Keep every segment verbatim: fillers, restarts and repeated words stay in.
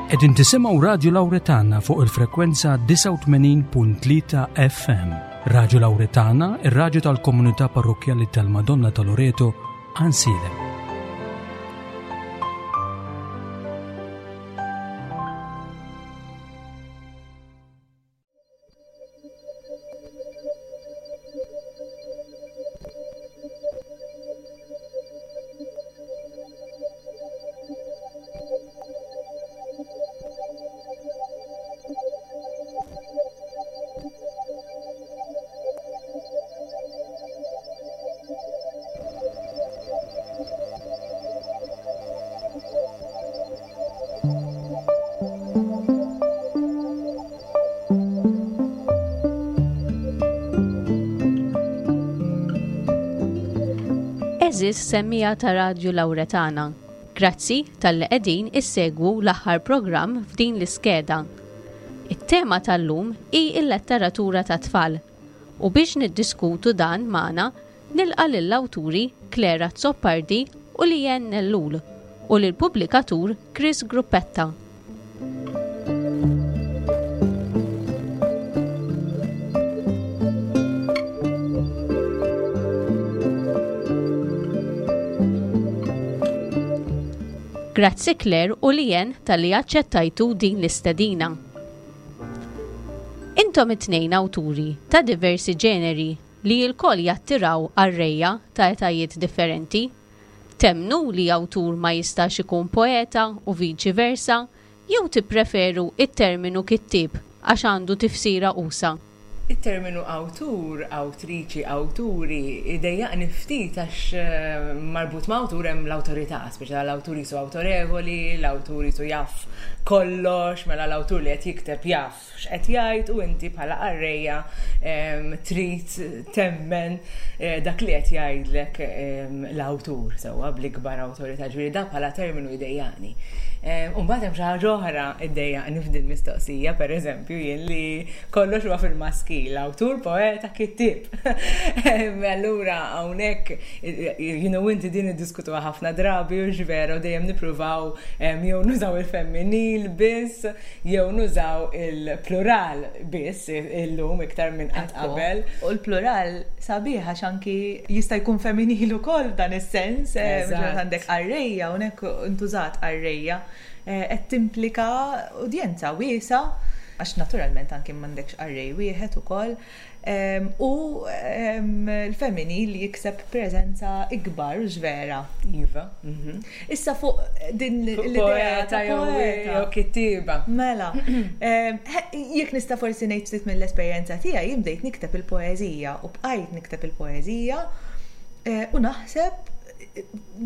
Qegħdin tisimgħu Radju Lawretana fuq il-frekwenza disgħa u tmenin punt tlieta F M. Radju Lawretana, ir-radju tal-Komunità Parrokkjali tal-Madonna ta' Loreto, Għajnsielem. Għeżież semmiegħa ta' Radju Lawretana. Grazzi talli qegħdin issegwu l-aħħar programm f'din l-iskeda. It-tema tal-lum hi l-letteratura ta' tfal. U biex niddiskutu dan magħna nilqa' lill-awturi Clare Azzopardi u Leanne Ellul u lill-pubblikatur Chris Gruppetta. Grazzi, Clare u Leanne, talli aċċettajtu din l-istedina. Intom it-tnejn awturi ta' diversi ġeneri li lkoll jattiraw qarrejja ta' etajiet differenti. Temmnu li awtur ma jistax ikun poeta u viċi versa, jew tippreferu it-terminu kittib għax għandu tifsira usa'? Il-terminu awtur, awtriċi, awturi, idejjaqni ftit għax eh, marbut ma' awtur hemm l-awtorità, speċa l-awtur jisu awtorevoli, l-awtur jisu jaf kollox, mela l-awtur li qed jikteb jaf x'qed jgħid u inti bħala qarrejja trid temmen eh, dak li qed jgħidlek l-awtur sewwa bl-ikbar awtorità, ġifieri da bħala terminu jdejjaqni. U mbagħad hemm xi ħaġa oħra iddejjaqni f'din mistoqsija, pereżempju jien li kollox huwa fil-maskil, awtur, poeta, kittib. Allura hawnhekk you know inti din iddiskutuha ħafna drabi u ġvera u dejjem nippruvaw jew nużaw il-femminil biss jew nużaw il-plural biss illum iktar minn qatt qabel. U l-plural sabiħ għax anki jista' jkun femminil ukoll dan is-sens, eh, għandek qarrejja, hawnhekk intużat qarrejja, eh, qed timplika udjenza wiesa' għax naturalment anki m'għandekx qarrej wieħed ukoll. U l-femminil jikseb preżenza ikbar, vera. Iva. Mhm. Issa fuq din l-idea ta' jew kittiba. Mela, jekk nista' forsi ngħid ftit mill-esperjenza tiegħi, jien bdejt nikteb il-poeżija u bqajt nikteb il-poeżija eh, u naħseb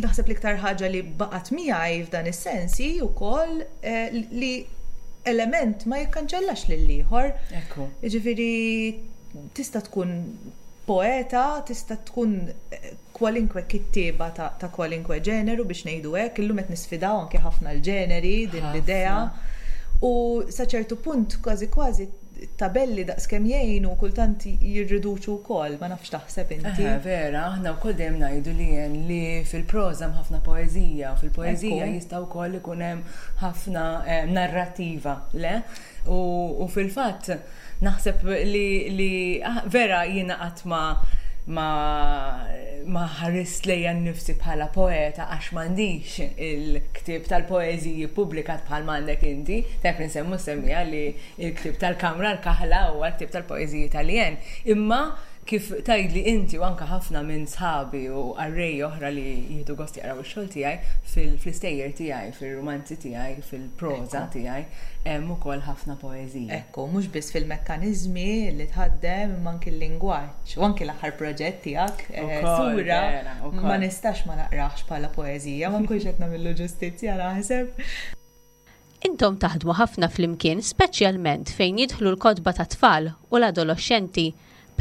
naħseb l-iktar ħaġa li baqgħet miegħi f'dan is-sens hi wkoll eh, li element ma jikkanċellax lill-ieħor. Ekku. Jiġifieri tista' tkun poeta, tista' tkun eh, kwalinkwe kittieba ta', ta kwalinkwe ġeneru, biex ngħidu hekk, illum qed nisfidaw anke ħafna l-ġeneri din l-idea. U sa ċertu punt kważi kważi tabelli daqskemm jgħinu kultant jirriduċu wkoll, ma nafx taħseb inti. Vera, aħna wkoll dejjem ngħidu li jen li fil-proża hemm ħafna poeżija, fil-poeżija jista' wkoll ikun hemm ħafna eh, narrativa, le? U, u fil-fatt naħseb li, li ah, vera jiena qatt ma ma ma ħarist lejja nnifsi bħala poeta għax m'għandix il-ktieb tal-poeżiji publikat bħal m'għandek inti. Tajb nsemmu semmija li il-ktieb tal-Kamra l-Kaħla huwa l-ktieb tal-poeżiji Taljan. Imma kif tgħidli inti u anka ħafna minn sħabi u qarrej oħra li jieħdu gost jaqraw ix-xogħol tiegħi, fil-istejjer tiegħi, fil-romanzi tiegħi, fil-proża tiegħi, hemm ukoll ħafna poeżija. Ekku, mhux biss fil-mekkaniżmi li tħaddem imma anki l-lingwaġġ u anki l-aħħar proġett tiegħek, eh, sura, ma nistax ma naqrax bħala poeżija, ma nkunx qed nagħmillu ġustizzja, naħseb. Intom taħdmu ħafna flimkien, speċjalment fejn jidħlu l-kotba ta' tfal u l-adolescenti.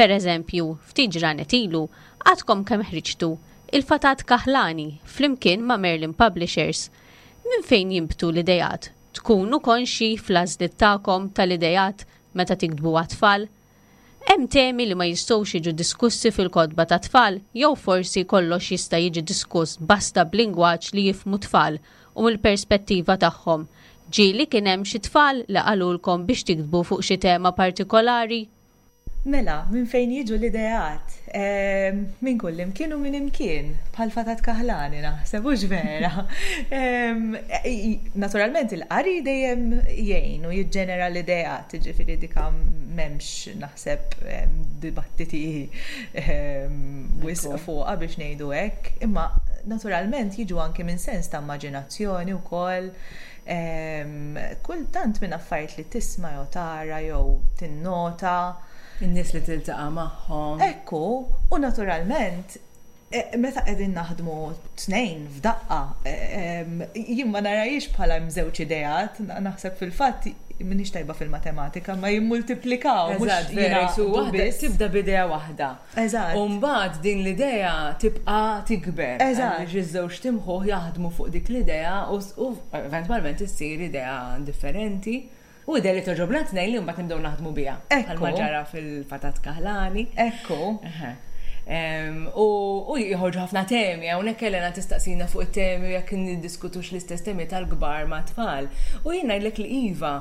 Per eżempju, ftit ġranet ilu, għadkom kemm ħriġtu Il-Fatat Kaħlani flimkien ma' Merlin Publishers. Minn fejn jinbtu l-idejat? Tkunu konxi fl-għażliet tagħkom tal-idejat meta tiktbu għat-tfal? Hemm temi li ma jistgħux jiġu diskussi fil-kotba ta' tfal, jew forsi kollox jista' jiġi diskuss basta b'lingwaġġ li jifhmu tfal u mill-perspettiva tagħhom? Ġieli kien hemm xi tfal li qalulkom biex tiktbu fuq xi tema partikolari? Mela, minn fejn jiġu l-ideat? Minn kull imkien u minn imkien, bħal fatat kaħlani naħseb, hux vera. Naturalment il-qari dejjem jgħin u jiġġenera l-ideat, ġifieri dika m'hemmx naħseb dibattiti wisq fuqha biex ngħidu hekk, imma naturalment jiġu anke minn sens ta' immaġinazzjoni wkoll. Kultant minn affarijiet li tisma' jew tara jew tinnota. In-nies li tiltaqa' magħhom. Ekku, u naturalment, meta qegħdin naħdmu tnejn f'daqqa, jien ma narahiex bħala żewġ ideat, naħseb fil-fatt m'iniex tajba fil-matematika, ma jimmultiplikaw. Eżatt, vera, waħda tibda b'idea waħda. Eżatt. U mbagħad din l-idea tibqa' tikber. Eżatt. Għaliex iż-żewġ timħuħ jaħdmu fuq dik l-idea u eventwalment issir idea differenti. U idea li togħġobna tnejn li mbagħad nibdew naħdmu biha. Ekku. Bħalma ġara fil-fatat kaħlani. Ekku. U jħorġu ħafna temi, hawnhekk Elena tistaqsina fuq it-temi u jekk niddiskutux l-istess temi tal-kbar ma' tfal. U jien ngħidlek li iva,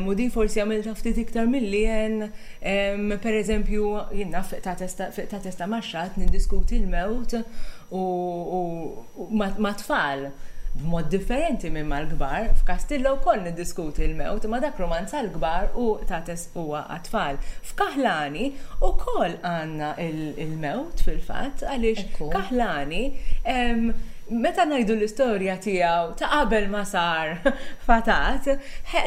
u din forsi għamiltha ftit iktar milli jien, per eżempju, jien naf ta' testa maxxat niddiskuti l-mewt u ma' tfal b'mod differenti minn mal-kbar. F'Kastillo wkoll niddiskuti l-mewt, ma dak romanz għall-kbar u Tates huwa għat-tfal. F'Kaħlani wkoll għandna il-mewt fil-fatt, għaliex Kaħlani meta ngħidu l-istorja tiegħu ta' qabel ma sar fatat,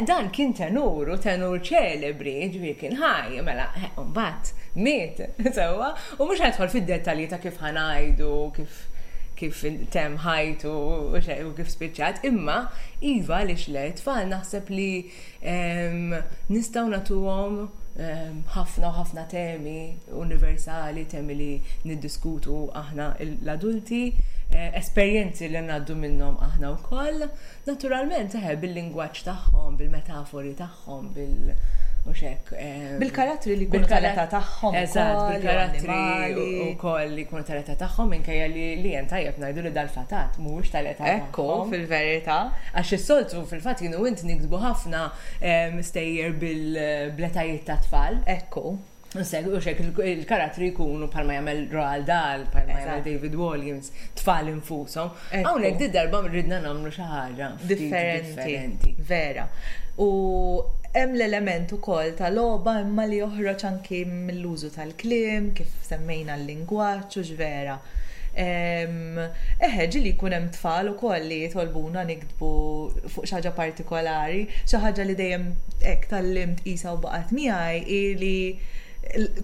dan kien tenur u tenur ċelebri, ġifieri kien ħaj, mela mbagħad miet, sewwa, u mhux ħadħol fid-dettalji ta' kif ħanajdu, kif kif tem ħajtu u kif spiċċat, imma iva li le tfal naħseb li nistgħu nagħtuhom ħafna u ħafna temi universali, temi li niddiskutu aħna l-adulti, esperjenzi li ngħaddu minnhom aħna wkoll, naturalment eħe bil-lingwaġġ tagħhom, bil-metafori tagħhom, bil Uxek, bil-karattri li jkunu tal-età tagħhom. Eżatt, bil-karattri wkoll li jkunu tal-età tagħhom, minkejja li li jen tajjeb ngħidu li dal-fatat mhuwiex tal-età tagħhom. Ekku, fil-verità. Għax is-soltu fil-fatt jien u int niktbu ħafna stejjer bil-bletajiet ta' tfal. Ekku. U xek il-karattri jkunu bħalma jagħmel Roald Dahl, bħalma jagħmel David Walliams, tfal infushom. Hawnhekk di darba ridna nagħmlu xi ħaġa differenti. Vera. U hemm l-element ukoll tal-logħba imma li joħroġ anki mill-użu tal-kliem, kif semmejna l-lingwaġġ u x'vera. Eħe, ġieli jkun hemm tfal ukoll li jitolbuna niktbu fuq xi ħaġa partikolari, xi ħaġa li dejjem hekk tgħallimt qisha u baqgħet miegħi hi li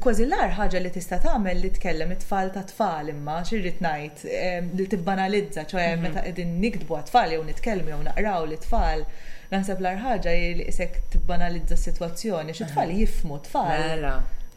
kważi l-agħar ħaġa li tista' tagħmel li tkellem it-tfal ta' tfal, imma x'irrid ngħid li tibbanalizza, ċoe meta qegħdin niktbu għat-tfal jew nitkellmu jew naqraw lit-tfal, naħseb l-agħar ħaġa hi li qisek tibbanalizza s-sitwazzjoni, xi tfal jifhmu tfal.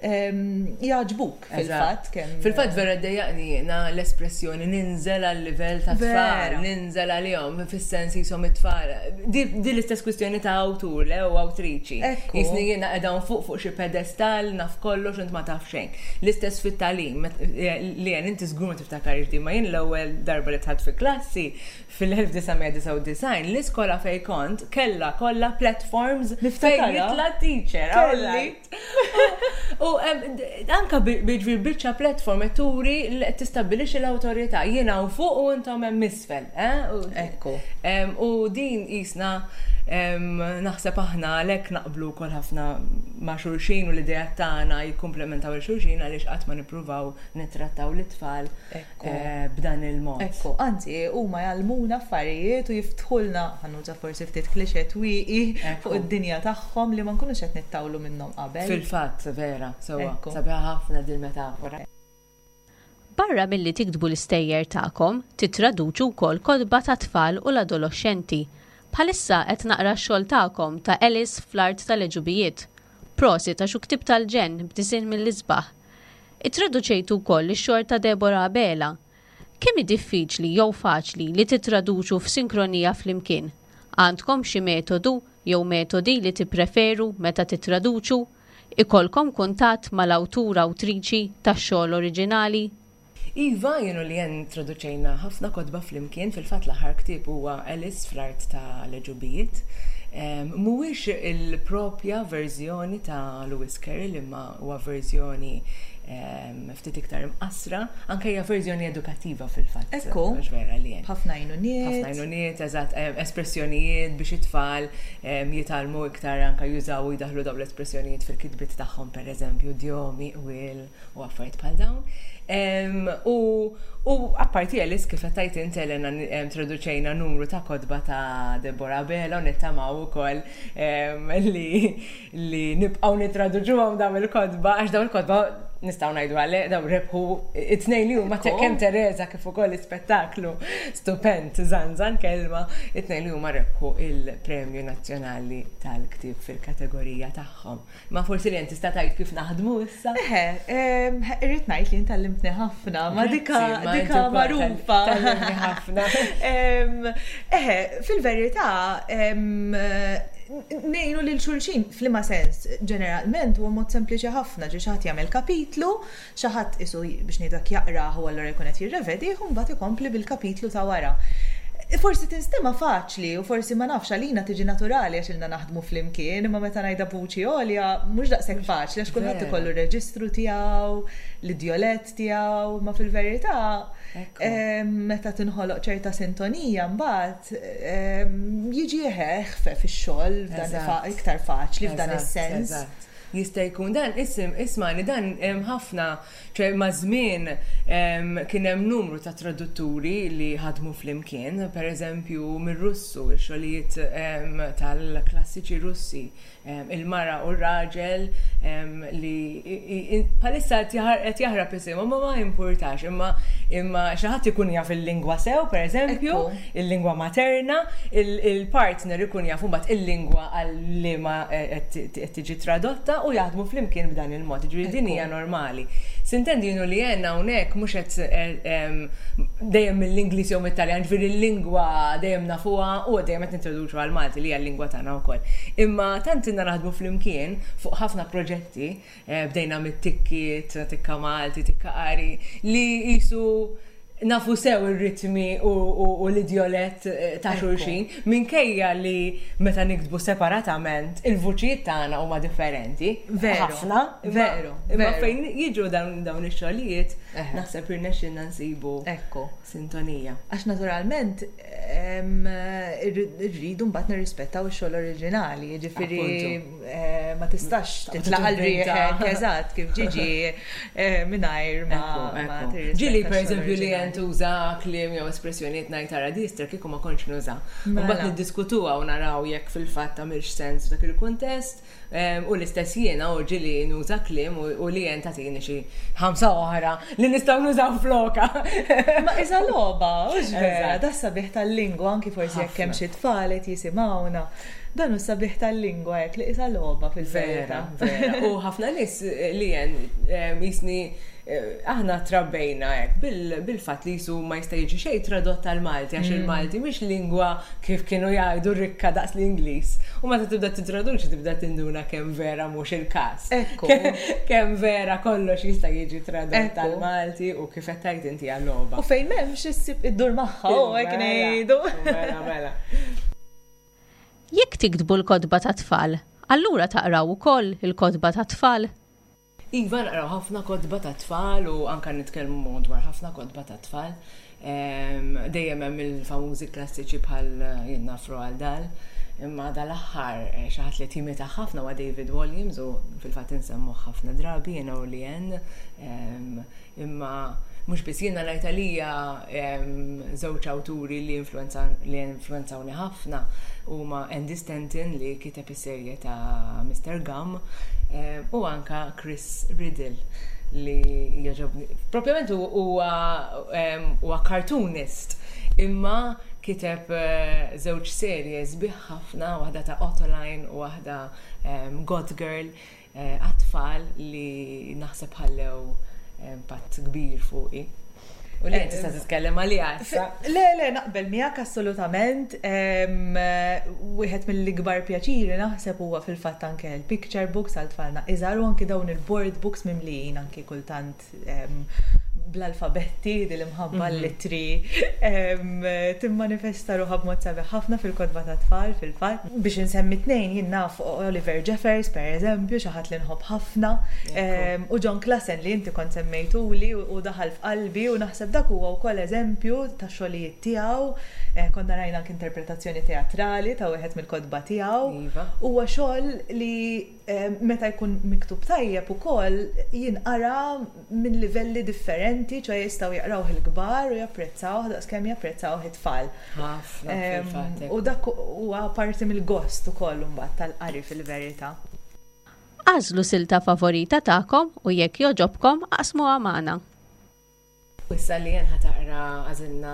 Jogħġbuk fil-fatt kemm. Fil-fatt vera ddejjaqni jiena l-espressjoni ninżel għal livell ta' tfal, ninżel għalihom fis-sens jisom it-tfal. Di l-istess kwistjoni ta' awtur le u awtriċi. Jisni jiena qiegħda fuq fuq xi pedestal naf kollox int ma taf xejn. L-istess fit-tagħlim li jien inti żgur ma tiftakarx din, ma jien l-ewwel darba li dħalt fi klassi fil-elf disa' mija disgħa u disgħin l-iskola fejn kont kellha kollha platforms fejn jitla' teacher. Kelli. U anka biġvir biċċa platform qed turi li qed tistabbilixxi l-awtorità. Jien hawn fuq u intom hemm isfel. Ekku. U din qisna naħseb aħna għalhekk naqblu wkoll ħafna ma' xulxin u l-idea tagħna jikkumplementaw il xulxin għaliex qatt ma nippruvaw nittrattaw lit-tfal b'dan il-mod. Ekku, anzi huma jgħallmuna affarijiet u jiftħulna, ħanuża forsi ftit klixe twieqi fuq id-dinja tagħhom li ma nkunux qed nittawlu minnhom qabel. Fil-fatt, vera. Sewa, sabiħa ħafna din metafora. Barra milli tiktbu l-istejjer tagħkom, titraduċu wkoll kotba ta' tfal u l-adolexxenti. Bħalissa qed naqra x-xogħol tagħkom ta' Alice fl-art tal-għeġubijiet. Prosit għax hu ktieb tal-ġenn b'disinn mill-isbaħ. Ittraduċejtu wkoll ix-xogħol ta' Deborah Abela. Kemm hi diffiċli jew faċli li titraduċu f'sinkronija flimkien? Għandkom xi metodu jew metodi li tippreferu meta titraduċu? Ikolkom kuntatt mal-awtur awtriċi tax-xogħol oriġinali? Iva, jien u li jen traduċejna ħafna kotba flimkien, fil-fatt l-aħħar ktieb huwa Alice fl-art tal-għeġubijiet. Mhuwiex il-propja verżjoni ta' Lewis Carroll, imma huwa verżjoni ftit iktar imqasra, anke hija verżjoni edukattiva fil-fatt. Ekku. Mhux vera li hemm. Ħafna għajnuniet. Ħafna għajnuniet, eżatt, espressjonijiet biex it-tfal jitgħallmu iktar anke jużaw u jdaħlu dawn l-espressjonijiet fil-kitbiet tagħhom, pereżempju, idjomi, will u affarijiet bħal dawn. U u apparti Alice, kif qed tgħid int, Elena, traduċejna numru ta' kotba ta' Deborah Abela u nittamaw ukoll li li nibqgħu nitraduċuhom dawn il-kotba, għax dawn il-kotba nistgħu ngħidu għale daw rebħu it-tnejn li huma, kemm Teresa kif ukoll l-ispettaklu stupend Zanzan Kelma, it-tnejn li huma rebħu il-Premju Nazzjonali tal-Ktieb fil-kategorija tagħhom. Ma forsi li tista' tgħid kif naħdmu issa? Eħe, irrid ngħid li tgħallimtni ħafna, ma dika dika magħrufa. Tgħallimtni ħafna. Eħe, fil-verità, ngħinu lil xulxin f'liema sens? Ġeneralment huwa mod sempliċi ħafna, ġi xi ħadd jagħmel kapitlu, xi ħadd isu biex ngħidak jaqrah u allura jkun qed jirrevedi u mbagħad ikompli bil-kapitlu ta' wara. Forsi tinstema faċli u forsi, ma nafx, għalina tiġi naturali għax ilna naħdmu flimkien, imma meta ngħidha b'vuċi għolja mhux daqshekk faċli għax kulħadd ikollu reġistru tiegħu, l-idjolett tiegħu, ma fil-verità meta tinħoloq ċerta sintonija mbagħad jiġi eħfef fix-xogħol, iktar faċli f'dan is-sens. Jista' jkun dan isim ismani dan hemm ħafna, ċe ma' żmien kien hemm numru ta' tradutturi li ħadmu flimkien, pereżempju mir-Russu, ix-xogħlijiet tal-klassiċi Russi, il-mara u r-raġel li bħalissa qed jaħrab isimhom, ma ma importax, imma imma xi ħadd ikun jaf il-lingwa sew, pereżempju, il-lingwa materna, il-partner ikun jaf mbagħad il-lingwa għal liema qed tiġi tradotta u jaħdmu flimkien b'dan il-mod, ġifieri din hija normali. Sintendi jinu li għenna hawnhekk mhux qed dejjem mill-Ingliż jew mit-Taljan, ġifieri l-lingwa dejjem nafuha u dejjem qed nintroduċu għal-Malti li hija l-lingwa tagħna wkoll. Imma tant ilna naħdmu flimkien fuq ħafna proġetti, bdejna mit-tikkiet, tikka Malti, tikka qari, li jisu nafu sew ir-ritmi u l-idjolett ta' xulxin, minkejja li meta niktbu separatament il-vuċijiet tagħna huma differenti. Veru. Ħafna. Veru. Imma fejn jiġu dawn ix-xogħlijiet naħseb irnexxilna nsibu Ekku. sintonija. Għax naturalment irridu mbagħad nirrispettaw ix-xogħol oriġinali, jiġifieri ma tistax titlaq għal riħek eżatt kif ġiġi mingħajr ma Ġieli, pereżempju, li tuża kliem jew espressjonijiet ngħid tara distra kieku ma kontx nuża. Mbagħad niddiskutuha u naraw jekk fil-fatt tagħmilx sens f'dak il-kuntest, u l-istess jiena u ġieli nuża kliem u li jen tagħtini xi ħamsa oħra li nistgħu nużaw floka. Ma iża logħba, hux vera, da sabiħ tal-lingwa, anki forsi jekk hemm xi tfal qed jisimgħuna. Dan hu sabiħ tal-lingwa hekk li isa logħba fil-verità. Vera. U ħafna nies li jen jisni aħna trabbejna hekk bil-fatt li jisu ma jista' jiġi xejn tradott tal-Malti għax il-Malti mhix lingwa, kif kienu jgħidu, rikka daqs l-Ingliż. U meta tibda titraduċi tibda tinduna kemm vera mhux il-każ. Ekku. Kemm vera kollox jista' jiġi tradott tal-Malti u kif qed tgħid inti għal-logħba. U fejn m'hemmx issib iddur magħha u hekk ngħidu. Mela, mela. Jekk tiktbu l-kotba ta' tfal, allura taqraw ukoll il-kotba ta' tfal? Iva, naqraw ħafna kotba ta' tfal u anka nitkellmu dwar ħafna kotba ta' tfal. Dejjem hemm il-famużi klassiċi bħal jien naf Roald Dahl. Imma dal-aħħar xi ħadd li timita ħafna huwa David Walliams u fil-fatt insemmuh ħafna drabi jiena u Lien. Imma mhux biss jiena, ngħid għalija żewġ awturi li li influenzawni ħafna huma Andy Stanton li kiteb is-serje ta' Mister Gum u anka Chris Riddell li jogħġobni. Propjament huwa cartoonist, imma kiteb żewġ serje sbieħ ħafna, waħda ta' Ottoline u waħda God Girl għat-tfal li naħseb ħallew impatt kbir fuqi. U li tista' titkellem għalija issa. Le, le, naqbel miegħek assolutament. Wieħed mill-ikbar pjaċiri naħseb huwa fil-fatt anke l-picture books għal tfalna iżgħar u anke dawn il-board books mimlijin anke kultant bl-alfabetti, din l-imħabba l-ittri, timmanifesta ruħha b'mod sabiħ ħafna fil-kotba ta' tfal fil-fatt. Biex insemmi tnejn jien naf Oliver Jeffers per eżempju, xi ħadd li nħobb ħafna, u Jon Klassen li inti kont semmejtuli u daħal f'qalbi u naħseb dak huwa wkoll eżempju ta' xogħlijiet tiegħu. Eh, konna rajna anke interpretazzjoni teatrali ta' wieħed mill-kotba tiegħu. Iva. Huwa xogħol li meta jkun miktub tajjeb ukoll jinqara minn livelli differenti, ċoè jistgħu jaqrawh il-kbar u japprezzawh daqskemm japprezzawh it-tfal. Ħafna fil-fatt. U dak huwa parti mill-gost ukoll imbagħad tal-qari fil-verità. Agħżlu silta favorita tagħkom u jekk jogħġobkom aqsmuha magħna. Issa li jen ħa taqra għażilna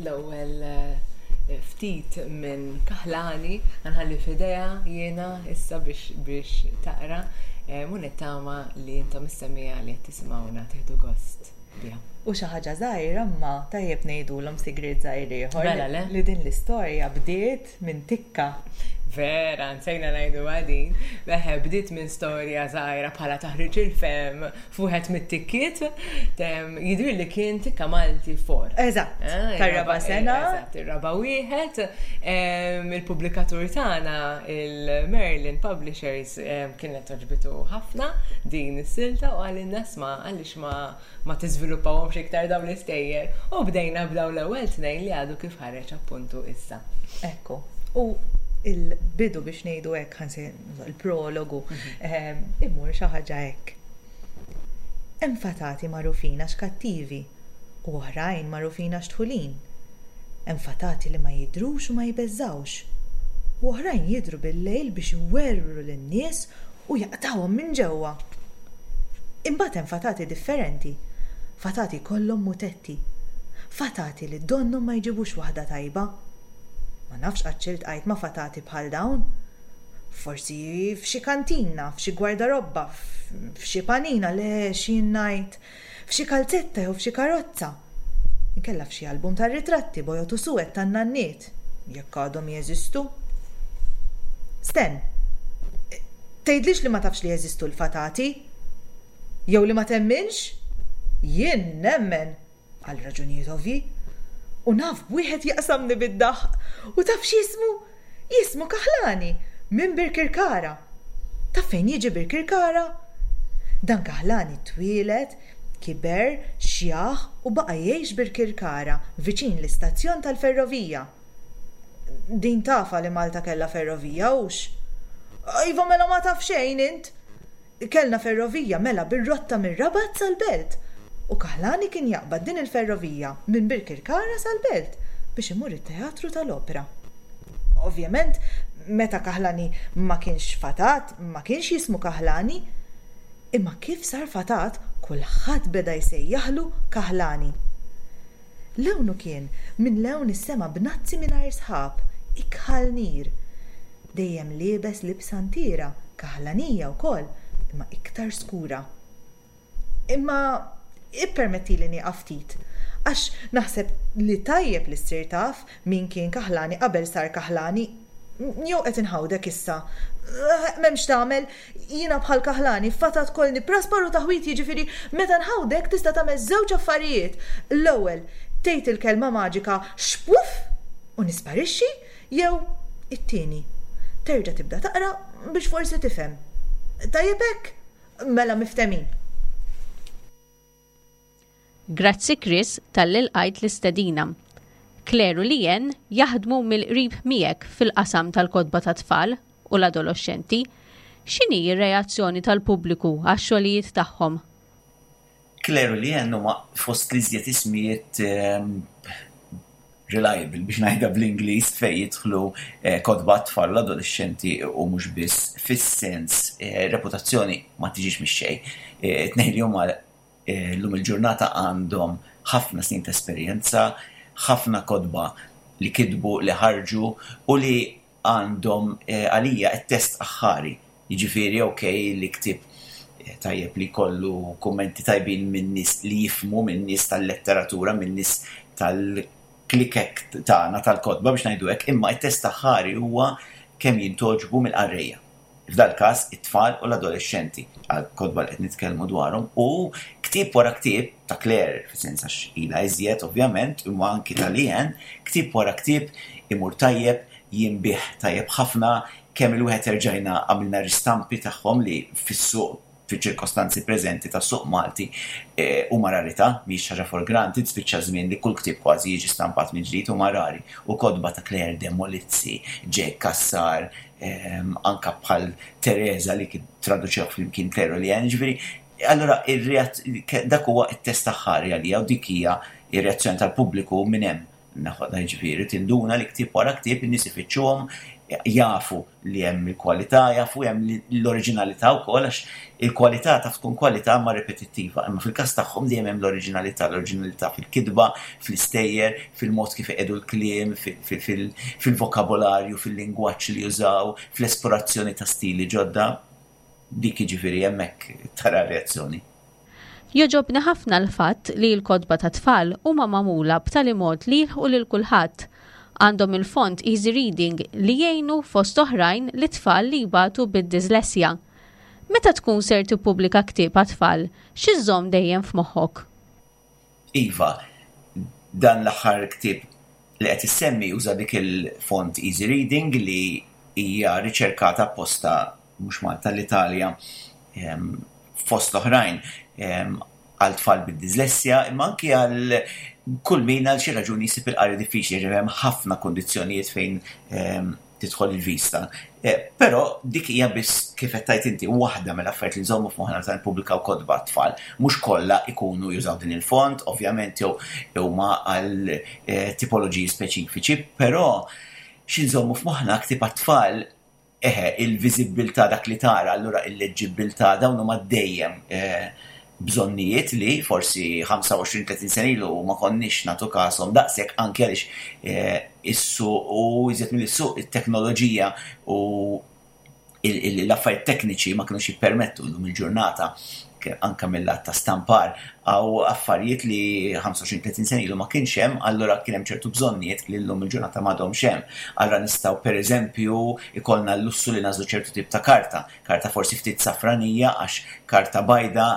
l-ewwel eh, ftit minn Kaħlani, nħalli f'idejha jiena issa biex biex taqra. Eh, Mu nittama li intom is-semmiegħa li qed tisimgħuna tieħdu gost biha. U xi ħaġa żgħira imma tajjeb ngħidulhom sigriet żgħir ieħor Mela, le? li din l-istorja bdiet minn tikka. Vera, nsejna ngħidu għadin. Beħe, bdiet minn storja żgħira bħala taħriġ il-fem fuħet mit-tikkiet. Jidri li kien tikka Malti four. Eżatt, Ah, tar-raba' sena. Eżatt, ir-raba' wieħed. Em, Il-pubblikatur tagħna, il-Merlin Publishers, em, kienet togħġbu ħafna din is-silta u qalilna isma' għaliex ma ma tiżviluppawhomx iktar dawn l-istejjer. U bdejna b'dawn l-ewwel tnejn li għadu kif ħareġ appuntu issa. Ekku. U il-bidu biex ngħidu hekk ħansi il-prologu ehm, imur xi ħaġa hekk. Hemm fatati magħrufin għax kattivi u oħrajn magħrufin għax dħulin. Hemm fatati li ma jidhrux u ma jbeżżawx. U oħrajn jidhru bil-lejl biex iwerwru lin-nies u jaqtawhom minn ġewwa. Imbagħad hemm fatati differenti. Fatati kollhom mutetti. Fatati li donnhom ma jġibux waħda tajba. Ma nafx qatt iltqajt ma' fatati bħal dawn. Forsi f'xi kantina, f'xi gwardarobba, f'xi panina, le xi ngħid, f'xi kalzetta jew f'xi karozza. Inkella f'xi album tar-ritratti bojod u suwed tan-nanniet, jekk għadhom jeżistu. Sten, tgħidlix li ma tafx li jeżistu l-fatati? Jew li ma temminx? Jien nemmen, għal raġunijiet ovvji. U naf b'wieħed jaqsamni bid-daħq. U taf x'jismu? Jismu Kaħlani, minn Birkirkara. Taf fejn jiġi Birkirkara? Dan Kaħlani twieled, kiber, xjaħ u baqa' jgħix Birkirkara, viċin l-istazzjon tal-ferrovija. Din tafha li Malta kellha ferrovija hux? Iva mela ma taf xejn int. Kellna ferrovija mela bir-rotta mir-Rabat sal-Belt. U Kaħlani kien jaqbad din il-ferrovija minn Birkirkara sal-Belt biex imur it-teatru tal-opera. Ovvjament, meta Kaħlani ma kienx fatat, ma kienx jismu Kaħlani, imma kif sar fatat, kulħadd beda jsejjaħlu Kaħlani. Lewnu kien minn lewn is-sema bnazzi mingħajr sħab, ikħal nir. Dejjem liebes libsa ntira, kaħlanija wkoll, imma iktar skura. Imma ippermetti li nieqaf ftit, għax naħseb li tajjeb li ssir taf min kien Kaħlani qabel sar Kaħlani. Jew qed inħawdek issa. M'hemmx tagħmel, jiena bħal Kaħlani fatat kollni praspar u taħwit, jiġifieri meta nħawdek tista' tagħmel żewġ affarijiet. L-ewwel, tgħid il-kelma maġika xpuf u nisparixxi, jew it-tieni, terġa' tibda taqra biex forsi tifhem. Tajjeb hekk? Mela miftemin. Grazzi Chris talli lqajt l-istedina. Claire u Leanne jaħdmu mill-qrib miegħek fil-qasam tal-kotba ta' tfal u l-adolescenti. X'inhi r-reazzjoni tal-pubbliku għax-xogħlijiet tagħhom? Claire u Leanne huma fost l-iżjed ismijiet ehm, reliable biex ngħidha bl-Ingliż fejn jidħlu eh, kotba tfal l-adolescenti u mhux biss fis-sens eh, reputazzjoni ma tiġix mix-xejn. Eh, Tnejn li huma llum il-ġurnata għandhom ħafna snin ta' esperjenza, ħafna kotba li kitbu, li ħarġu u li għandhom għalija t-test aħħari. Jiġifieri ok li ktib tajjeb li kollu kummenti tajbin minn nies li jifhmu, minn nies tal-letteratura, minn nies tal-klikek tagħna tal-kotba biex ngħidu hekk, imma t-test aħħari huwa kemm jintogħġbu mill-qarrejja. F'dal każ it-tfal u l-adolexxenti għal kotba li qed nitkellmu dwarhom u ktieb wara ktieb ta' Claire, fis-sens għax ilha iżjed ovvjament, imma anki ta' Leanne, ktieb wara ktieb imur tajjeb, jinbiegħ tajjeb ħafna, kemm il-wieħed erġajna għamilna ristampi tagħhom li fis-suq, fiċ-ċirkostanzi preżenti tas-suq Malti, eh, huma rarità, mhix ħaġa for granted, spiċċa żmien li kull ktieb kważi jiġi stampat minn ġdid, huma rari. U kotba ta' Claire de Molizzi, Jake Cassar, ehm, anka bħal Teresa li kien traduċew flimkien Claire u Leanne, ġifieri, allora dak huwa it-test aħħari għalija u dik hija ir-reazzjoni tal-pubbliku minn hemm naħodha, ġifieri tinduna li ktieb wara ktieb in-nies ifittxuhom, jafu li hemm il-kwalità, jafu hemm l-oriġinalità wkoll, għax il-kwalità taf tkun kwalità ma ripetittiva, imma fil-każ tagħhom dejjem hemm l-oriġinalità, l-oriġinalità fil-kitba, fl-istejjer, fil-mod kif iqiegħdu l-kliem, fil-vokabolarju, fil-lingwaġġ li jużaw, fl-esplorazzjoni ta' stili ġodda. Dik jiġifieri hemmhekk tara reazzjoni. Jogħġobni ħafna l-fatt li l-kotba ta' tfal huma magħmula b'tali mod li jilħqu lil kulħadd. Għandhom il-font easy reading li jgħinu fost oħrajn li tfal li jbatu bid-dislessja. Meta tkun ser tippubblika ktieb għat-tfal, x'iżżomm dejjem f'moħħok? Iva, dan l-aħħar ktieb li qed issemmi uża dik il-font easy reading li hija riċerkata apposta mhux Malta, l-Italja, fost l-oħrajn għal tfal bid-dislessja, imma anki għal kull min għal xi raġuni jsib il-qari diffiċli, ġifieri hemm ħafna kundizzjonijiet fejn tidħol il-vista. Eh, però dik hija biss, kif qed tgħid inti, waħda mill-affarijiet li nżommu f'moħħna meta nippubblikaw kotba tfal. Mhux kollha ikunu jużaw din il-font, ovvjament, jew huma għal eh, tipoloġiji speċifiċi, però xi nżommu f'moħħna ktieb għat-tfal, eħe, il-viżibbiltà, dak li tara, allura il-leġġibbiltà, dawn huma dejjem eh, bżonnijiet li forsi ħamsa u għoxrin tletin sena ilu ma konniex nagħtu kashom daqshekk, anke għaliex eh, is-suq u iżjed mill-suq it-teknoloġija u l-affarijiet tekniċi ma kinux jippermettu. Llum il-ġurnata anka mill-lat ta' stampar għaw affarijiet li ħamsa u għoxrin tletin sena ilu ma kienx hemm, allura kien hemm ċertu bżonnijiet li llum il-ġurnata m'għadhomx hemm. Allura nistgħu, pereżempju, ikollna l-lussu li nagħżlu ċertu tip ta' karta, karta forsi ftit safranija, għax karta bajda,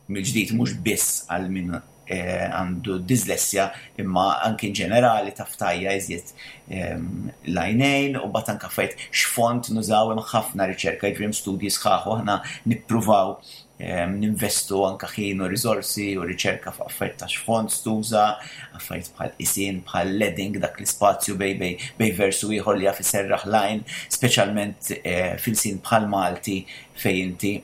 mill-ġdid mhux biss għal min eh, għandu dislessja, imma anki ġenerali taf tgħajja iżjed ehm, l-għajnejn, u mbagħad anka fejt x'font nużaw, hemm ħafna riċerka, jiġifieri hemm studji sħaħ u aħna nippruvaw ehm, ninvestu anka ħin u riżorsi u riċerka fuq affarijiet ta' x'font tuża, affarijiet bħal isin, bħal leading, dak l-ispazju bejn bejn bejn versu ieħor li jaf iserraħ l-għajn, speċjalment eh, f'ilsien bħal Malti fejn inti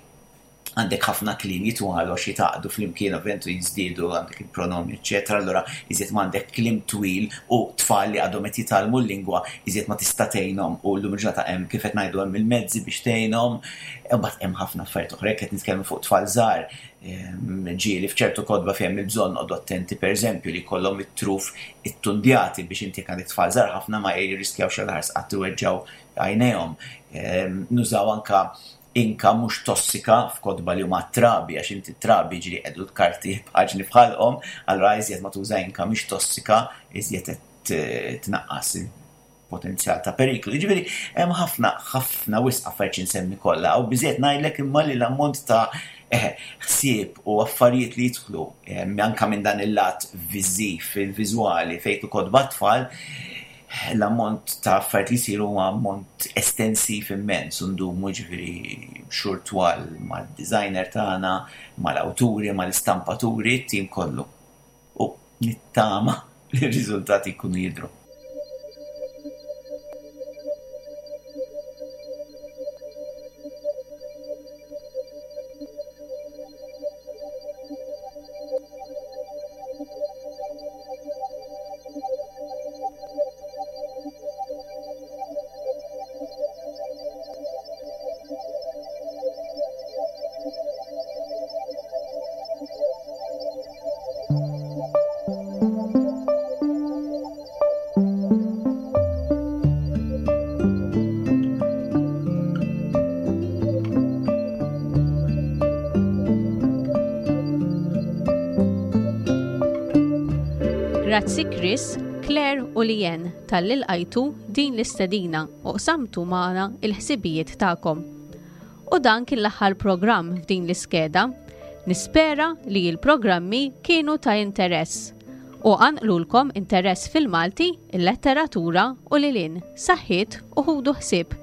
għandek ħafna kliem jitwalu għax jitgħaqqdu flimkien, ovvjament, u jiżdiedu, għandek il-pronomi, eċċetera. Allura iżjed ma għandek kliem twil u tfal li għadhom qed jitgħallmu l-lingwa, iżjed ma tista' tgħinhom, u llum il-ġurnata hemm, kif qed ngħidu, hemm il-mezzi biex tgħinhom, imbagħad hemm ħafna affarijiet oħra. Jekk qed nitkellmu fuq tfal żgħar, ġieli f'ċertu kotba fejn hemm il-bżonn noqogħdu attenti, pereżempju, li jkollhom it-truf ittundjati biex inti jekk għandek tfal żgħar ħafna ma jirriskjawx għal qatt iweġġgħu għajnejhom. Nużaw anka inka mhux tossika f'kotba li huma trabi, għax inti trabi ġieli qiegħdu l-karti paġni f'ħalqhom, allura iżjed ma tuża inka mhix tossika, iżjed qed tnaqqas il-potenzjal ta' periklu. Jiġifieri hemm ħafna, ħafna, wisq affarijiet insemmi kollha, u biżejjed ngħidlek imma li l-ammont ta' ħsieb u affarijiet li jidħlu anka minn dan il-lat viżiv, il-viżwali, fejn kotba tfal, l-ammont ta' affarijiet li jsiru huwa ammont estensiv immens, u ndumu ġifieri xhur twal mad-designer tagħna, mal-awturi, mal-istampaturi, it-tim kollu. U nittama li r-riżultati jkunu jidhru. Grazzi Chris, Claire u Leanne talli lqajtu din l-istedina u qsamtu magħna il-ħsibijiet tagħkom. U dan kien l-aħħar programm f'din l-iskeda. Nispera li l-programmi kienu ta' interess u qanqlulkom interess fil-Malti, il-letteratura u lilin, saħħiet u ħudu ħsieb.